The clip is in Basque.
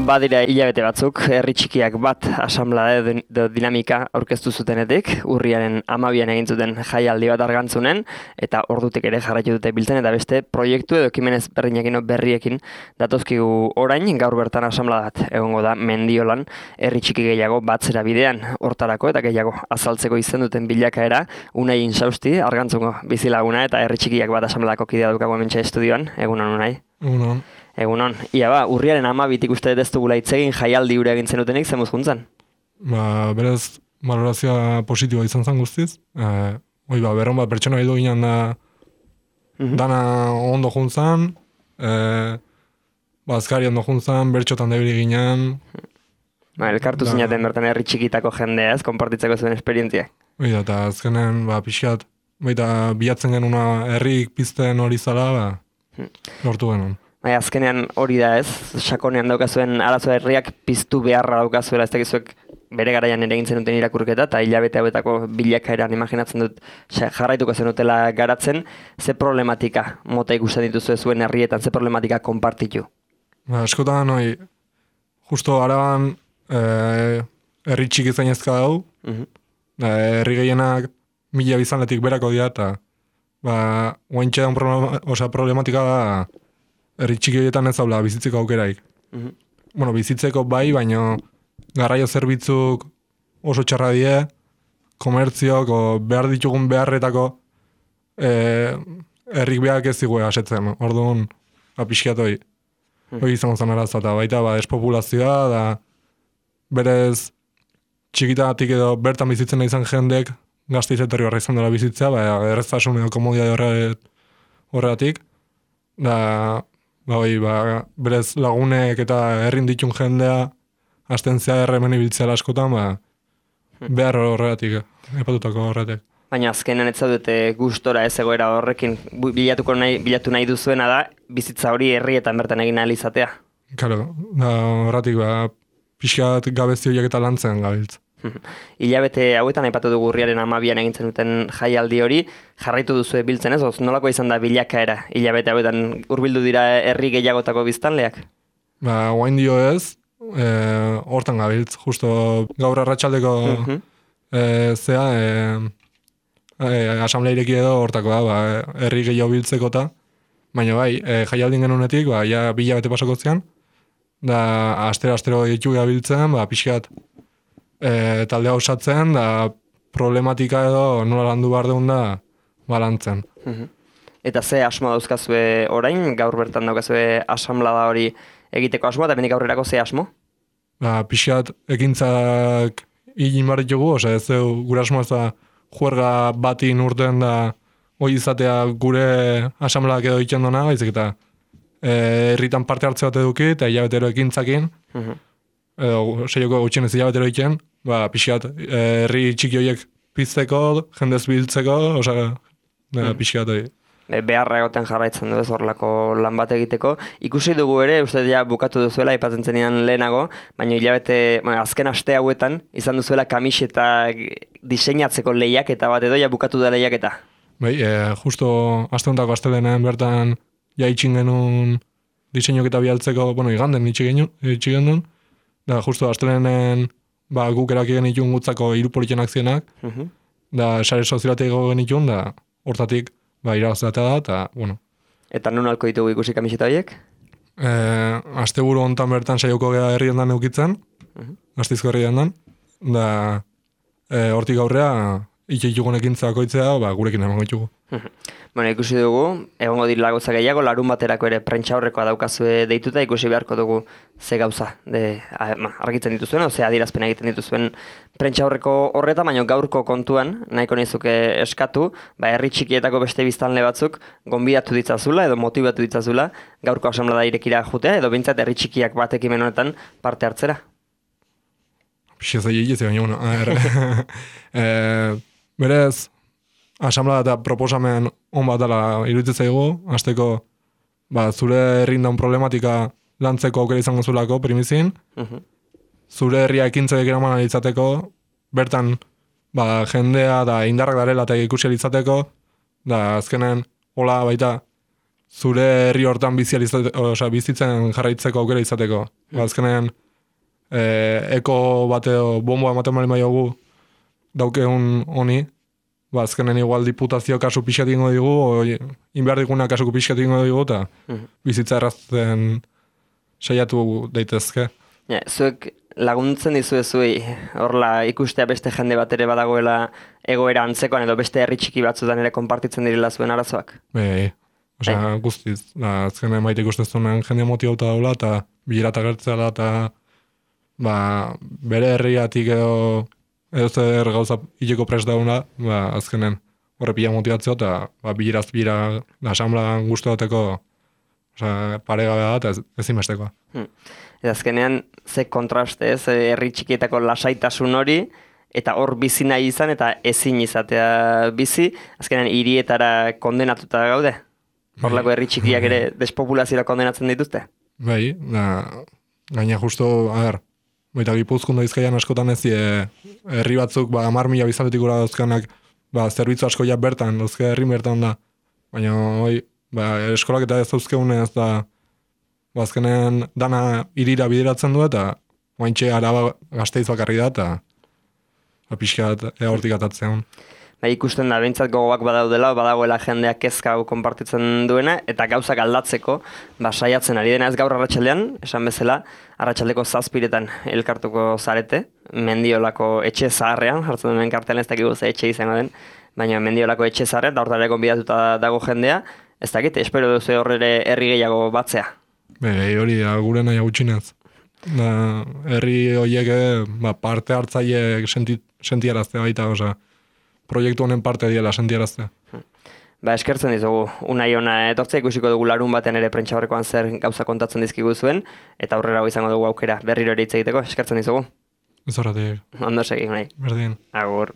Badira hilabete batzuk, herri txikiak bat asamblea edo dinamika aurkeztu zutenetik, urriaren 12an egin zuten jaialdi bat Argantzunen, eta ordutik ere jarraitu dute biltzen, eta beste proiektu edo ekimen ezberdinekin berriekin datozkigu orain, gaur bertan asamblea bat egongo da Mendiolan, herri txiki gehiago batzera bidean hortarako, eta gehiago azaltzeko izen duten bilakaera, Unai Insausti, Argantzungo bizilaguna, eta herri txikiak bat asambleako kidea dukago hementxe estudioan, egunon Unai. Egunon. Ia urriaren 12tik uste dut ez dugula hitz egin jaialdi hura egin zenutenik, zemuz juntzan? Berez, valorazioa positiboa izan zen guztiz. Berron bat pertsona bildu ginen da dana ondo juntzan, azkari ondo juntzan, bertxotan debili ginen. Elkartu zinaten bertan herri txikitako jendea ez, konpartitzeko zuen esperientzia. Eta azkenen, pixkat, bilatzen genuna herrik pizten hori zala, lortu genuen. Azkenean hori da ez, sakonean daukazuen arazoa herriak piztu beharra daukazuela, ez dakizuek bere garaian ere egin zenuten irakurketa, eta hilabete hauetako bilakaeran imaginatzen dut jarraituko zenutela garatzen, ze problematika mota ikusten dituzu zuen herrietan, ze problematika konpartitu? Askotan, justo Araban herri txiki zainezka dau, herri gehienak 1000 bizanletik berako dira, eta oaintxe da problematika da, herri txiki horietan ez daula bizitzeko aukeraik. Bizitzeko bai, baina garraio zerbitzuk oso txarra die, komertziok, behar ditugun beharretako herrik behak ez zigue asetzen. Orduan, pixkiat hori izan zen arazoa, eta baita despopulazioa, da berez txikitatik edo bertan bizitzen nahi zen jendek Gasteiz etorri horra izan dela bizitzea, erreztasun edo komodia horregatik, da berez lagunek eta herrin ditun jendea hasten zea hemen ibiltzea askotan, behar horregatik, epatutako horregatik. Baina azkenean ez zaudete gustora ez egoera horrekin bilatu nahi duzuena da, bizitza hori herrietan bertan egin ahal izatea. Claro, horregatik pixkat gabezi horiek eta lantzen gabiltz. Hilabete hauetan aipatu dugu urriaren 12an egin zenuten jaialdi hori, jarraitu duzu biltzen ez, nolako izan da bilakaera hilabete hauetan hurbildu dira herri gehiagotako biztanleak? Oain dio ez, hortan gabiltz, justo gaur arratsaldeko asamblea ireki edo hortako da, herri gehiago biltzeko eta, baina jaialdin genunetik, ja 2 hilabete pasako zian, da astero ditu gabiltzen, pixkat taldea osatzen, da problematika edo nola landu behar deun da balantzen. Eta ze asmo dauzkazue orain, gaur bertan daukazue asamblea hori egiteko asmoa, eta bendik aurrerako ze asmo? Pixkat ekintzak egin behar ditugu, ez gure asmoa ez da juerga batin urten da hori izatea gure asambleak edo egiten dona, baizik eta herritan parte hartze bat eduki, eta hilabetero ekintzakin, edo seioko gutxien ez hilabetero egiten, pixkat herri txiki horiek pizteko, jendez biltzeko, pixkat hori. Beharra egoten jarraitzen du ez horrelako lan bat egiteko. Ikusi dugu ere, uste ja bukatu duzuela, aipatzen zenidan lehenago, baina hilabete, azken aste hauetan, izan duzuela kamiseta diseinatzeko lehiaketa bat edo, ja bukatu da lehiaketa. Justo aste hontako astelenean bertan jaitxin genuen diseinoketa bialtzeko, iganden itxi genuen, da justo astelenen guk eraki genitun gutzako 3 politien akzionak, da sare sozialateko genitun, da hortatik irabazlatea da, eta Eta nun alko ditugu ikusi kamiseta horiek? Asteburu hontan bertan saioko gea herrien dan eukitzen, Gasteizko herrien dan, da hortik aurrea itxeitugun ekintzako itzea, gurekin emango ditugu. Ikusi dugu, egongo direla gauza gehiago, larun baterako ere prentsa horrekoa daukazue deituta, ikusi beharko dugu ze gauza argitzen dituzuen, ze adierazpen egiten dituzuen prentsa horreko horreta, baina gaurko kontuan, nahiko nizuke eskatu, herri txikietako beste biztanle batzuk gonbidatu ditzazula edo motibatu ditzazula gaurko asamblea irekira jutea, edo bintzat herri txikiak bat ekimen honetan parte hartzera. Pixeza egitze baina, berez, asamblea eta proposamen on bat dela iruditzen zaigu, hasteko zure herrindaun problematika lantzeko aukera izango zulako primizin, zure herria ekintzek eraman izateko, bertan jendea da indarrak darela eta ikusi izateko, da azkenen hola baita zure herri hortan bizitzen jarraitzeko aukera izateko. Azkenean, eko bateo bomboa ematen bali maiogu daukeun honi, azkenen igual diputazio kasu pixkat ingo digu, inbehar diguna kasu pixkat ingo digu, eta bizitza errazten saiatu daitezke. Ja, zuek laguntzen dizuezuei, horla ikustea beste jende bat ere badagoela egoera antzekoan edo beste herri txiki batzutan ere konpartitzen direla zuen arazoak? Guztiz, azkenen maite ikustezunen jende motibauta daula, eta bilerata gertzela, eta bere herriatik edo zer gauza hileko prest dauna, azkenen horre pila motibatzeo, eta bileraz bira asamblean guztu dateko paregabe da, eta ezinbestekoa. Eta azkenean, ze kontraste, herri txikietako lasaitasun hori, eta hor bizi nahi izan, eta ezin izatea bizi, azkenean hirietara kondenatuta gaude? Horlako herri txikiak ere despopulaziora kondenatzen dituzte? Gaina justo, baita Gipuzkoan da Bizkaian askotan ez herri batzuk 10.000 biztanletik gora dauzkanak zerbitzu asko ja bertan, dauzke herri bertan da. Baina eskolak eta ez dauzkeunez da azkenean dana irira bideratzen du eta oaintxe Araba Gasteiz bakarri da eta pixkat hortik atatzean. Ikusten da, behintzat gogoak badagoela jendeak kezka hau konpartitzen duena, eta gauzak aldatzeko, saiatzen ari dena ez gaur arratsaldean, esan bezala, arratsaldeko 7:00 elkartuko zarete, Mendiolako etxe zaharrean, jartzen duen kartelan ez dakigu ze etxe izango den, baina Mendiolako etxe zaharrean, da hortara gonbidatuta dago jendea, ez dakit, espero duzu horre herri gehiago batzea. Hori da, gure nahi gutxinez. Herri horiek parte hartzaileek sentiaraztea baita, proiektu honen parte diela sentiaraztea. Eskertzen dizugu, unai ona etortzea ikusiko dugu larun baten ere prentsaurrekoan zer gauza kontatzen dizkigu zuen, eta aurrera izango dugu aukera berriro ere hitz egiteko, eskertzen dizugu. Ez horretik. Ondo segi, unai. Berdin. Agur.